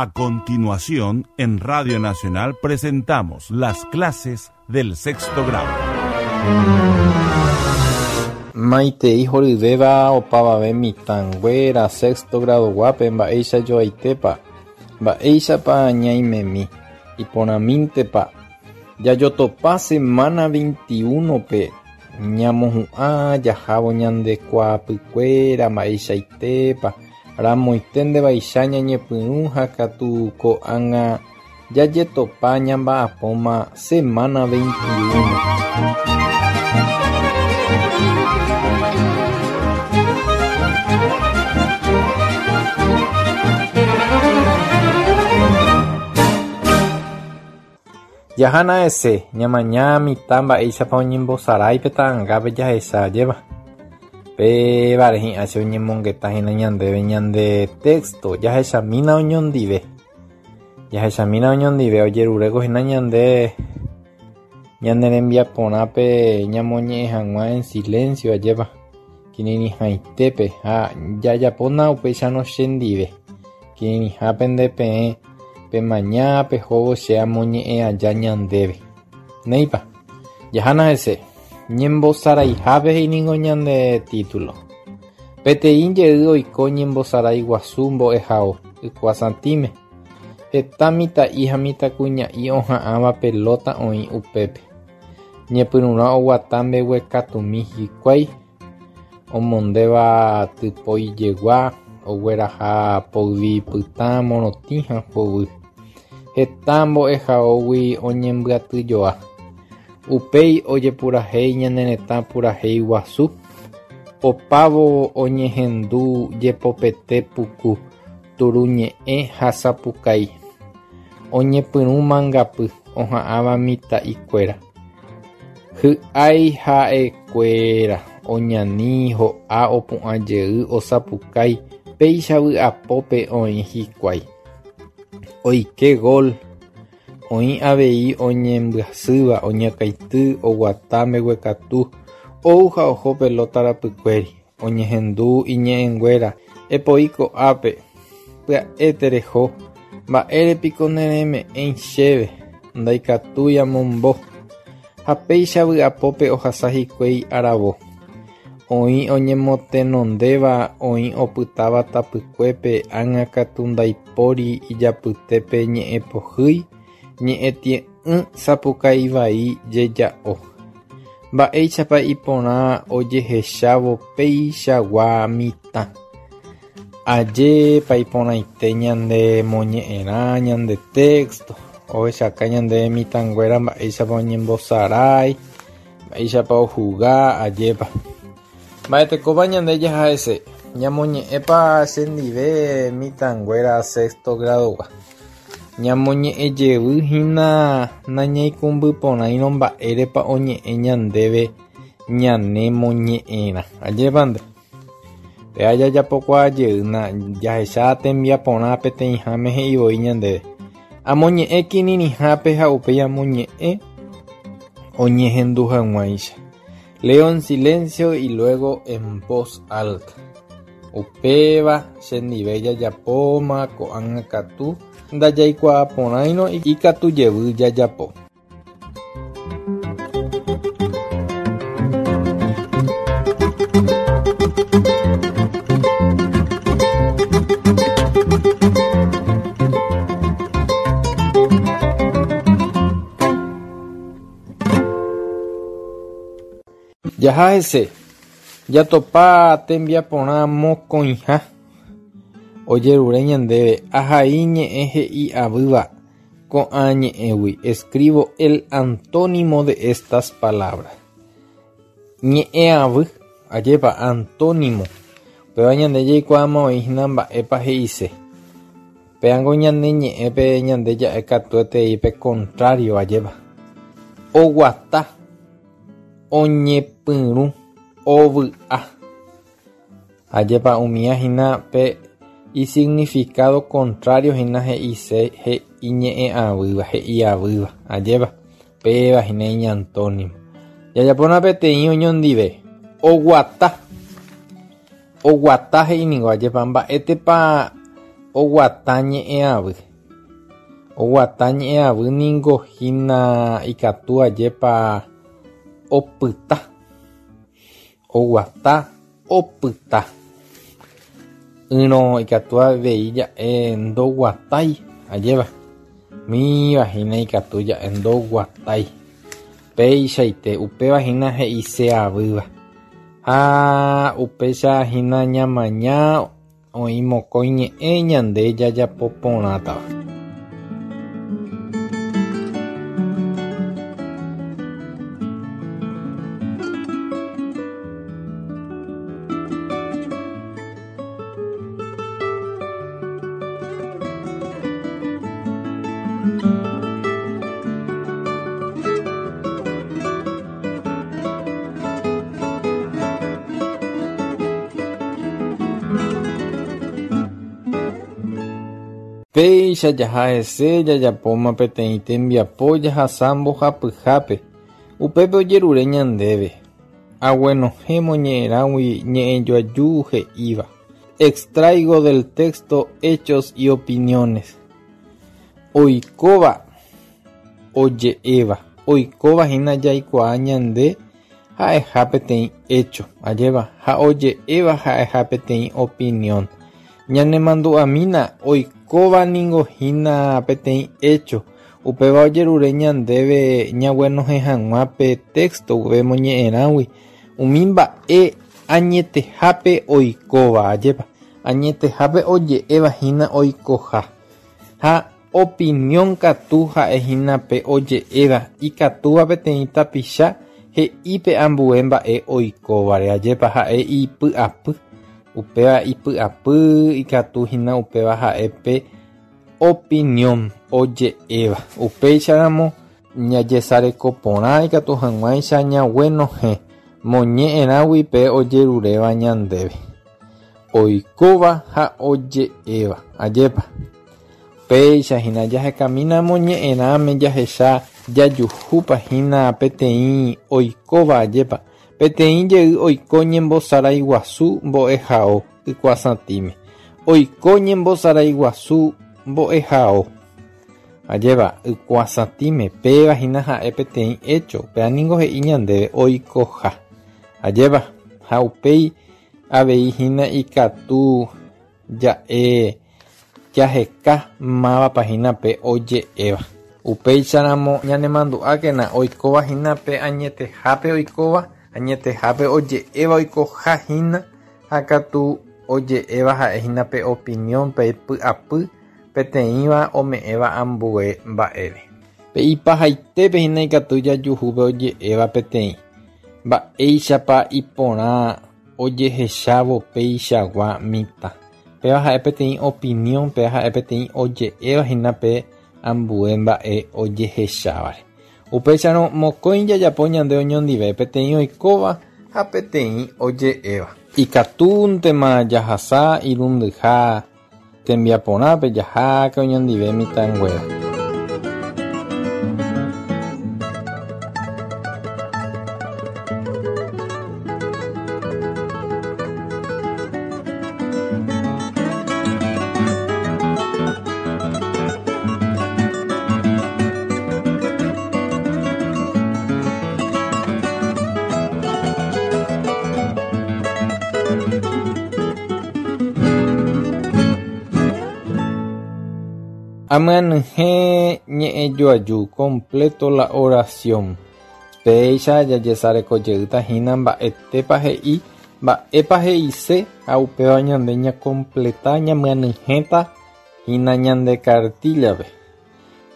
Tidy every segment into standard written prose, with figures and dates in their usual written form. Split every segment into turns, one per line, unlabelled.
A continuación, en Radio Nacional presentamos las clases del sexto grado.
Maitei horyvéva opavave mitãnguéra sexto grado-guápe mba'éicha joaitépa, mba'éichapa ñaimemi, iporãmíntepa, jajotopa semana 21-pe ñamohu'ã jahávo ñande kuaapykuéra mba'eichaitépa, Ramoite ndevaicha ñañepyrũ ha katu ko'ág̃a jajetopa ñamba'apóma semana 21. Jahána hese, ñamaña mitã mba'éichapa oñembosarái pe ta'angápe jahecha ajépa. Pévare hi'ã che oñemongeta hína ñandéve ñande texto, jahechamína oñondive. Jahechamína oñondive ojeruréko hína ñande ñane rembiaporã pe ñamoñe'ẽ hag̃ua en silencio ajépa. Kirirĩhaitépe ha jajapóna upéicharõ chendive. Kirirĩhápe nde peẽ pemaña pehóvo che amoñe'ẽ aja ñandéve. Néipa, jahána hese. Ñembosaraihápe he'i ningo ñande título. Peteĩ jey oiko ñembosarái guasu mbo'ehao Ykuasatĩme. Heta mitã'i ha mitãkuña'i oha'ãva pelóta oĩ upépe. Ñepyrũrã oguata mbeguekatumi hikuái, omondéva typói jegua, ogueraha poyvi pytã morotĩ ha hovy. Heta mbo'ehaógui oñembyatyjoa. Upéi ojepurahéi ñane retã purahéi guasu, opávo oñehendu jepopete puku, turu ñe'ẽ ha sapukái. Oñepyrũ mangapy oha'ãva mitã'ikuéra. Hy'ái ha'ekuéra oñani ho'a opu'ã jey osapukái péicha vy'apópe oĩ hikuái. Oike gol, oĩ avei oñembyasýva oñakãity oguata mbeguekatu ou ha oho pelóta rapykuéri. Oñehendu iñe'ẽnguéra, Epoi ko'ápe, pya'e tereho, mba'ére piko nereme'ẽi chéve, ndaikatúi amombo. Ha péicha vy'apópe ohasa hikuái aravo. Oĩ oñemotenondéva, oĩ opytáva tapykuépe, ág̃a katu ndaipóri ijapytépe ñe'ẽ pohýi, ñe'ẽ tie'ỹ. Ỹ sapukái vai jeja'o. Mba'éichapa iporã ojehechávo peichagua mitã. Ajépa iporãite ñande moñe'ẽrã ñande texto, ohechaka ñande mitãnguéra mba'éichapa oñembosarái, mba'éichapa ohuga, ajépa. Mba'etekópa ñande jaha hese, ñamoñe'ẽpa chendive mitãnguéra sexto grado-gua. Ñamoñe'ẽ jevy hína nañaikũmby porãirõ mba'érepa oñe'ẽ ñandéve ñane moñe'ẽrã. Ajépa nde? Péva jajapokuaa jeýna jahecha tembiaporã peteĩháme he'i voi ñandéve. Amoñe'ẽ kirirĩhápe ha upéi amoñe'ẽ oñehendu hag̃uáicha. Leo en silencio y luego en voz alta. Upéva chendive jajapóma ko'ág̃a katu ndajaikuaa porãirõ ikatu jevy jajapo. Jaha hese, jatopa tembiaporã mokõiha ojerure ñandéve ahai ñe'ẽ he'i avýva ko'ã ñe'ẽgui Escribo el antónimo de estas palabras. Ñe'ẽ avy, ajépa, antónimo. Upéva ñande jaikuaáma oĩ hína mba'épa he'ise. Péango ñane ñe'ẽpe ñande ja'e katuetei pe contrario, ajépa. Oguata, oñepyrũ, ovy'a. Ajépa umía hína pe isignificado contrario hína he'ise he'i ñe'ẽ'avýva, he'iavýva, ajépa. Péva hína iñantónimo. Jajapóna peteĩ oñondive. Oguata. Oguata he'i ningo, ajépa mba'étepa oguata ñe'ẽavy. Oguata ñe'ẽavy ningo hína ikatu ajépa opyta. Oguata opyta. Ỹrõ ikatu avei ja'e ndoguatái, ajépa. Umíva hína ikatu ja'e ndoguatái. Péichaite, upéva hína he'iseavýva. Ha upéicha hína ñamaña Oĩ mokõi ñe'ẽ ñande jajapo porãtava. Péicha jaha hese jajapóma peteĩ tembiapo jahasa mbohapyhápe, upépe ojerure ñandéve, Aguenohẽ moñe'ẽrãgui ñe'ẽjoaju he'íva, Extraigo del texto hechos y opiniones. Oikóva oje'éva, oikóva hína jaikuaa ñande ha'eha peteĩ hecho, ajépa, ha oje'éva ha'eha peteĩ opinión. Ñanemandu'amína, oikóva ningo hína peteĩ hecho, upéva ojerure ñandéve ñaguenohẽ hag̃ua pe texto upe moñe'ẽrãgui umi mba'e añetehápe oikóva, ajépa, añetehápe oje'éva hína oikoha. Ha Opinión katu ha'e hína pe oje'éva ikatúva peteĩ tapicha he'i pe ambue mba'e oikóvare, ajépa ha'e ipy'apy, upéva ipy'apy ikatu hína upéva ha'e pe opinión oje'éva. Upéicharamo ñajesareko porã ikatu hag̃uáicha ñaguenohẽ moñe'ẽrãgui pe ojeruréva ñandéve, oikóva ha oje'éva, ajépa. Péicha hína jahekamína moñe'ẽrãme jahecha jajuhúpa hína peteĩ oikóva ajépa, peteĩ jey oiko ñembosarái guasu mbo'ehao ykuasatĩme. Oiko ñembosarái guasu mbo'ehao ajépa ykuasatĩme, péva hína ha'e peteĩ hecho, upéva ningo he'i ñandéve oikoha ajépa ha upéi avei hína ikatu Ja'e jaheka mávapa hína pe oje'éva. Upéicharamo ñanemandu'ákena oikóva hína pe añetehápe oikóva, añetehápe oje'éva oikoha hína, ha katu oje'éva ha'e hína pe opinión, pe py'apy peteĩva ome'ẽva ambue mba'ére. Pe ipahaitépe hína ikatu jajuhu pe oje'éva peteĩ, mba'éichapa iporã Ojehechávo peichagua mitã. Péva ha'e peteĩ opinión, péva ha'e peteĩ oje'éva hína pe ambue mba'e ojehechávare. Upéicharõ, mokõi jajapo ñande oñondive, peteĩ oikóva ha peteĩ oje'éva. Ikatúntema jahasa irundyha Tembiaporãpe jaháke oñondive mitãnguéra. Amyanyhẽ ñe'ẽjoaju, completo la oración. Péicha jajesareko jeýta hína mba'etépa he'i, mba'épa he'ise ha upéva ñande ñakompleta ñamyanyhẽta hína ñande kartíllape.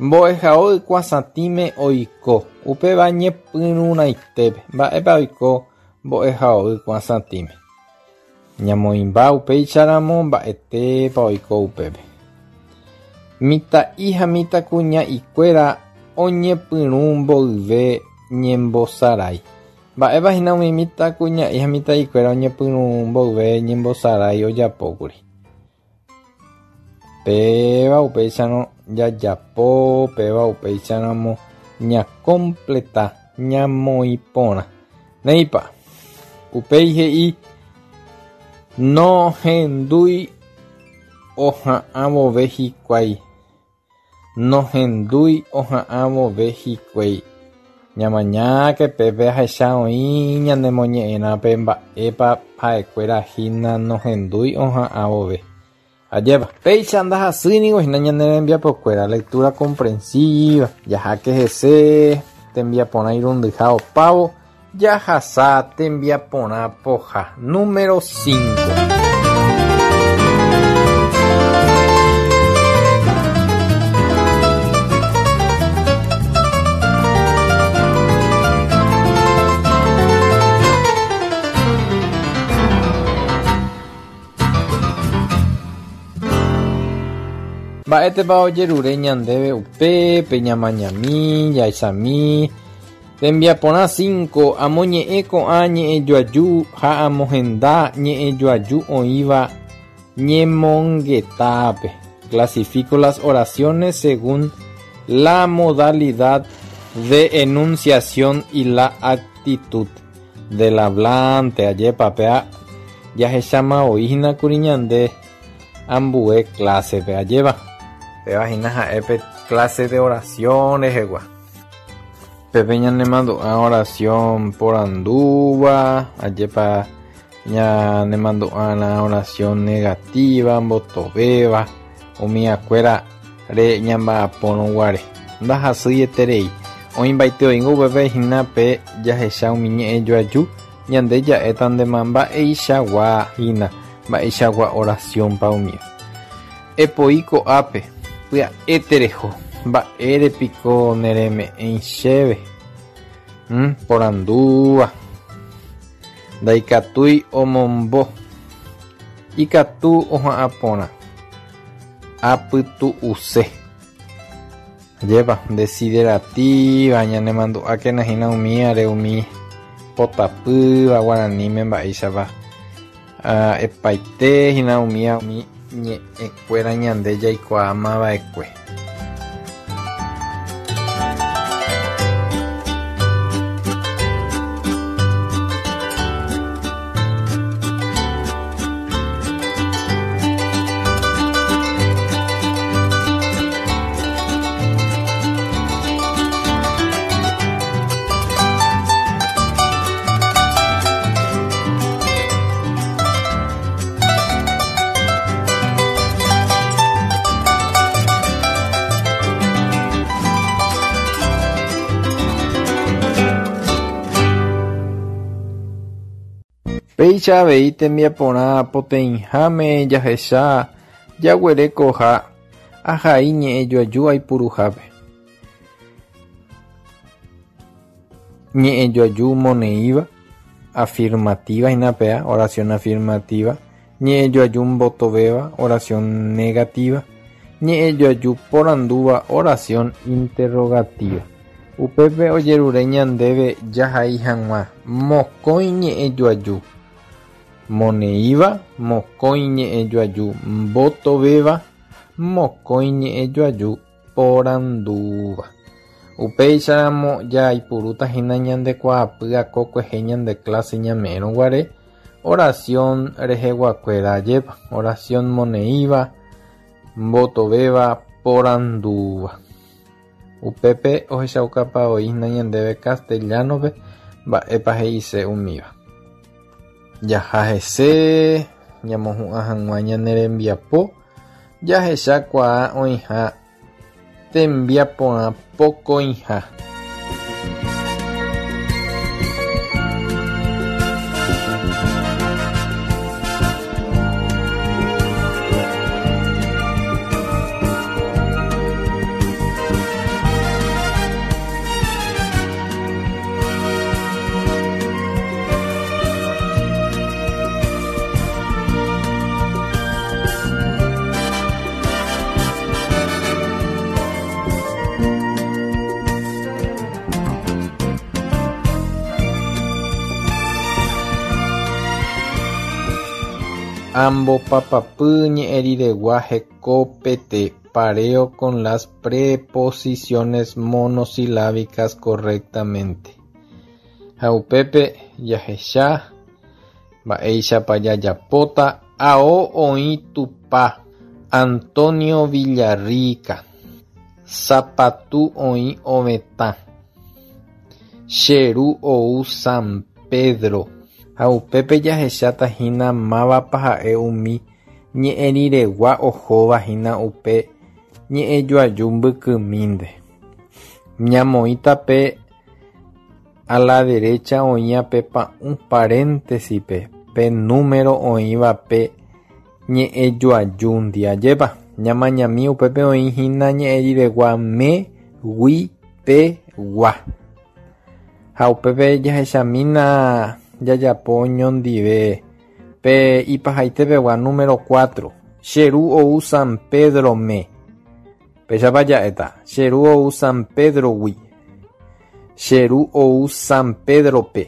Mbo'ehao ykuasatĩme oiko, upéva ñepyrũrãitépe. Mba'épa oiko mbo'ehao ykuasatĩme? Ñamoĩmba upéicharamo mba'etépa oiko upépe. Mitã'i ha mitãkuña'ikuéra oñepyrũ mboyve ñembosarái. Mba'épa hína umi mitãkuña'i ha mitã'ikuéra oñepyrũ mboyve ñembosarái ojapókuri? Péva upéicharõ jajapo, péva upéicharamo ñakompleta, ñamoĩ porã. Néipa, upéi he'i nohendúi oha'ã vove hikuái. Nohendúi oha'ã vove hikuái. Ñamañáke pépe ahecha oĩ ñanemoñe'ẽrã pe mba'épa ha'ekuéra hína nohendúi oha'ã vove. Ajépa, péicha ndahasýi ningo hína ñane rembiapokuéra, lectura comprensiva, jaháke hese, tembiaporã irundyha opávo, jahasa tembiaporã poha número 5. Mba'étepa ojerure ñandéve upépe ñamañami, jahechami. Tembiaporã 5, Amoñe'ẽ ko'ã ñe'ẽjoaju ha amohenda ñe'ẽjoaju oĩva ñemongetápe. Clasifico las oraciones según la modalidad de enunciación y la actitud del hablante. Ajépa péa jahecháma voi hína kuri ñande ambue clase-pe. Ajépa péva hína ha'e pe clase de oración rehegua. Pépe ñanemandu'a oración porandúva, ajépa ñanemandu'arã oración negativa, mbotovéva, umiakuéra re ñamba'apórõ guare. Ndahasýieterei. Oĩmbaite oĩngo upépe hína pe jahecha umi ñe'ẽjoaju ñande ja'éta ndéma mba'eichagua hína, mba'eichagua oración-pa umíva. Epoi ko'ápe, pya'e tereho. Mba'ére piko nereme'ẽi chéve? Hmm, porandúva. Ndaikatúi omombo. Ikatu oha'ã porã. Apytu'use. Ajépa, desiderativa, ñanemandu'ákena hína umíare umi potapýva guaraníme mba'éichapa epaite hína umíva umi ñe'ẽkuéra ñande jaikuaáma va'ekue. Péicha avei tembiaporã poteĩháme jahecha jaguerekoha ahai ñe'ẽjoaju aipuruhápe. Ñe'ẽjoaju moneĩva, afirmativa hína péa, oración afirmativa, ñe'ẽjoaju mbotovéva, oración negativa, ñe'ẽjoaju porandúva, oración interrogativa. Upépe ojerure ñandéve jahai hag̃ua mokõi ñe'ẽjoaju moneĩva, mokõi ñe'ẽjoaju mbotovéva, mokõi ñe'ẽjoaju porandúva. Upéicharamo jaipurúta hína ñande kuaapy akokuehe ñande clase ñame'ẽrõ guare oración reheguakuéra ajépa, oración moneĩva, mbotovéva, porandúva. Upépe ohechaukapa voi hína ñandéve castellano-pe mba'épa he'ise umíva. Jaha hese ñamohu'ã hag̃ua ñane rembiapo jahechakuaa oĩha tembiaporã pokõiha. Ambopapapy ñe'ẽriregua hekopete pareo con las preposiciones monosilábicas correctamente. Ha upépe jahecha mba'éichapa jajapóta ao oĩ Tupã Antonio Villarrica. Sapatu oĩ ovetã. Che ru ou San Pedro. Ha upépe jahecháta hína mávapa ha'e umi ñe'ẽriregua ohóva hína upe ñe'ẽjoaju mbykymínte. Ñamoĩta pe a la derecha oĩva pe pa'ũ paréntesis-pe pe número oĩva pe ñe'ẽjoajúndi. Ajépa, ñamañami upépe oĩ hína ñe'ẽriregua me, gui, pe, gua. Ha upépe jahechamína jajapo oñondive pe ipahaitepegua número 4. Che ru ou San Pedro-me. Péichapa ja'éta, Che ru ou San Pedro-gui. Che ru ou San Pedro-pe.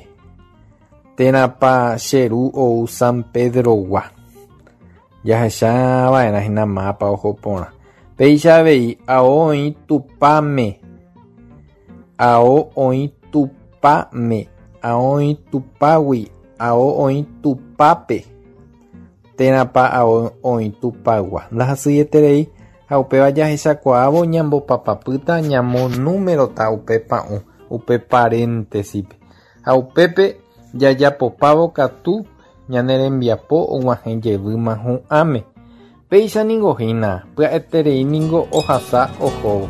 Térãpa che ru ou San Pedro-gua. Jahecha va'erã hína mápa oho porã. Péicha avei, ao oĩ Tupãme. Ao oĩ Tupãme. Ao oĩ Tupãgui. Ao oĩ Tupãpe. Térãpa ao oĩ Tupãgua. Ndahasyieterei ha upéva jahechakuaávo ñambopapapýta ñamonúmerota upe pa'ũ, upe paréntesipe. Ha upépe jajapopávo katu ñane rembiapo og̃uahẽ jevýma hu'ãme. Péicha ningo hína, pya'eterei ningo ohasa ohóvo.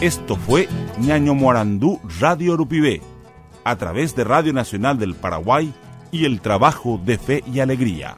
Esto fue Ñañomoarandu Radio Rupive, a través de Radio Nacional del Paraguay y el trabajo de Fe y Alegría.